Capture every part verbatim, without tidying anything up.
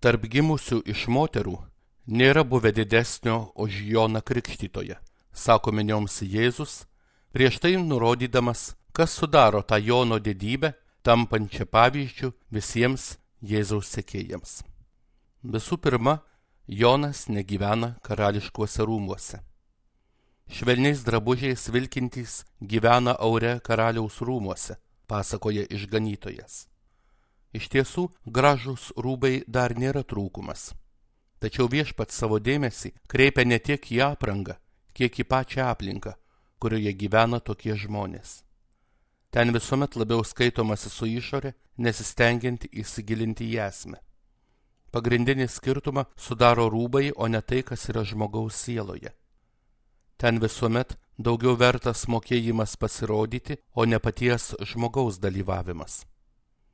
Tarp gimusių iš moterų nėra buvę didesnio už Joną Krikštytoją, sako minioms Jėzus, prieš tai nurodydamas, kas sudaro tą Jono didybę, tampančią pavyzdžių visiems Jėzaus sekėjams. Visų pirma, Jonas negyvena karališkuose rūmuose. Švelniais drabužiais vilkintys gyvena aure karaliaus rūmuose, pasakoja išganytojas. Iš tiesų, gražūs rūbai dar nėra trūkumas. Tačiau viešpats savo dėmesį kreipia ne tiek į aprangą, kiek į pačią aplinką, kurioje gyvena tokie žmonės. Ten visuomet labiau skaitomasi su išorė, nesistengiant įsigilinti į esmę. Pagrindinį skirtumą sudaro rūbai, o ne tai, kas yra žmogaus sieloje. Ten visuomet daugiau vertas mokėjimas pasirodyti, o ne paties žmogaus dalyvavimas.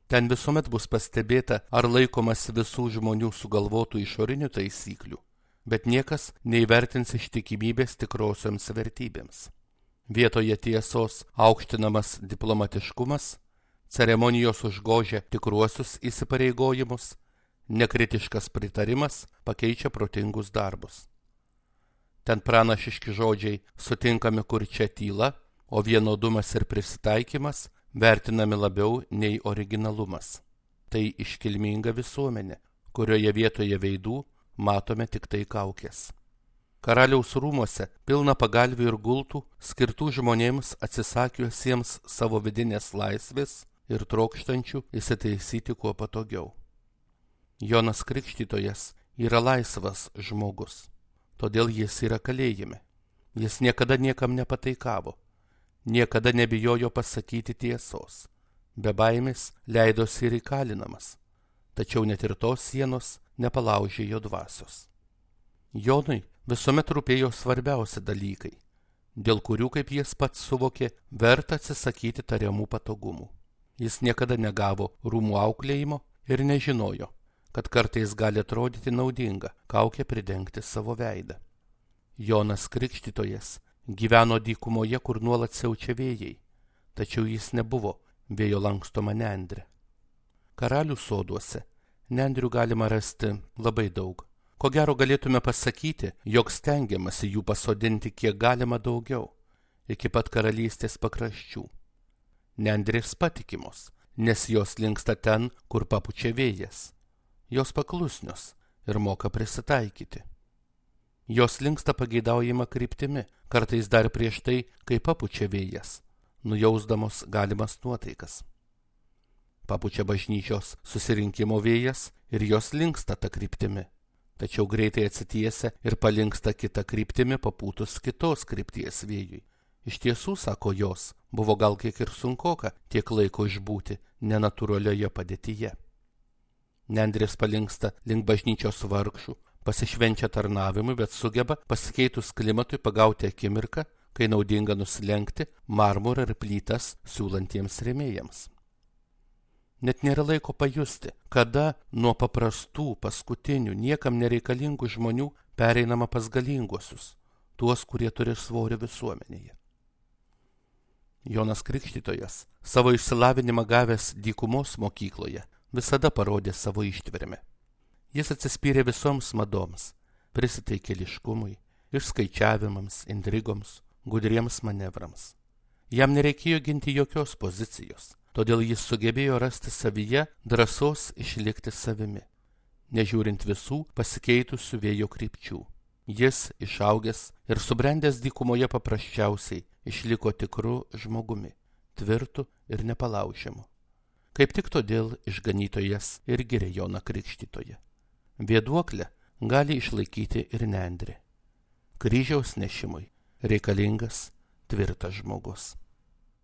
Ten visuomet bus pastebėta, ar laikomas visų žmonių sugalvotų išorinių taisyklių, bet niekas neįvertins ištikimybės tikrosioms vertybėms. Vietoje tiesos aukštinamas diplomatiškumas, ceremonijos užgožia tikruosius įsipareigojimus, nekritiškas pritarimas pakeičia protingus darbus. Ten pranašiški žodžiai sutinkami, kur čia tyla, o vienodumas ir prisitaikymas vertinami labiau nei originalumas. Tai iškilminga visuomenė, kurioje vietoje veidų matome tik tai kaukės. Karaliaus rūmuose pilna pagalvių ir gultų, skirtų žmonėms atsisakiusiems savo vidinės laisvės ir trokštančių įsitaisyti kuo patogiau. Jonas Krikštytojas yra laisvas žmogus, todėl jis yra kalėjime. Jis niekada niekam nepataikavo, niekada nebijojo pasakyti tiesos, be baimės leidosi ir įkalinamas, tačiau net ir tos sienos nepalaužė jo dvasios. Jonui visuomet rūpėjo svarbiausi dalykai, dėl kurių, kaip jis pats suvokė, verta atsisakyti tariamų patogumų. Jis niekada negavo rūmų auklėjimo ir nežinojo, kad kartais gali atrodyti naudinga kaukę pridengti savo veidą. Jonas Krikštytojas gyveno dykumoje, kur nuolat siaučia vėjai, tačiau jis nebuvo vėjo lankstoma nendrė. Karalių soduose nendrių galima rasti labai daug. Ko gero galėtume pasakyti, jog stengiamasi jų pasodinti kiek galima daugiau, iki pat karalystės pakraščių. Nendrės patikimos, nes jos linksta ten, kur papučia vėjas. Jos paklusnios ir moka prisitaikyti. Jos linksta pageidaujama kryptimi, kartais dar prieš tai, kai papučia vėjas, nujausdamos galimas nuotaikas. Papučia bažnyčios susirinkimo vėjas ir jos linksta ta kryptimi. Tačiau greitai atsitiesia ir palinksta kita kryptimi papūtus kitos krypties vėjui. Iš tiesų, sako jos, buvo gal kiek ir sunkoka tiek laiko išbūti nenatūralioje padėtyje. Nendrės palinksta link bažnyčios vargšų, pasišvenčia tarnavimui, bet sugeba pasikeitus klimatui pagauti akimirką, kai naudinga nusilenkti marmurą ir plytas siūlantiems rėmėjams. Net nėra laiko pajusti, kada nuo paprastų, paskutinių, niekam nereikalingų žmonių pereinama pas galinguosius, tuos, kurie turi svorį visuomenėje. Jonas Krikštytojas, savo išsilavinimą gavęs dykumos mokykloje, visada parodė savo ištvermę. Jis atsispyrė visoms madoms, prisitaikėliškumui, išskaičiavimams, intrigoms, gudriems manevrams. Jam nereikėjo ginti jokios pozicijos. Todėl jis sugebėjo rasti savyje drąsos išlikti savimi, nežiūrint visų pasikeitusių vėjo krypčių. Jis, išaugęs ir subrendęs dykumoje paprasčiausiai, išliko tikru žmogumi, tvirtu ir nepalaužiamu. Kaip tik todėl išganytojas ir giria Joną Krikštytoją. Vėduoklę gali išlaikyti ir nendrė. Kryžiaus nešimui reikalingas tvirtas žmogus.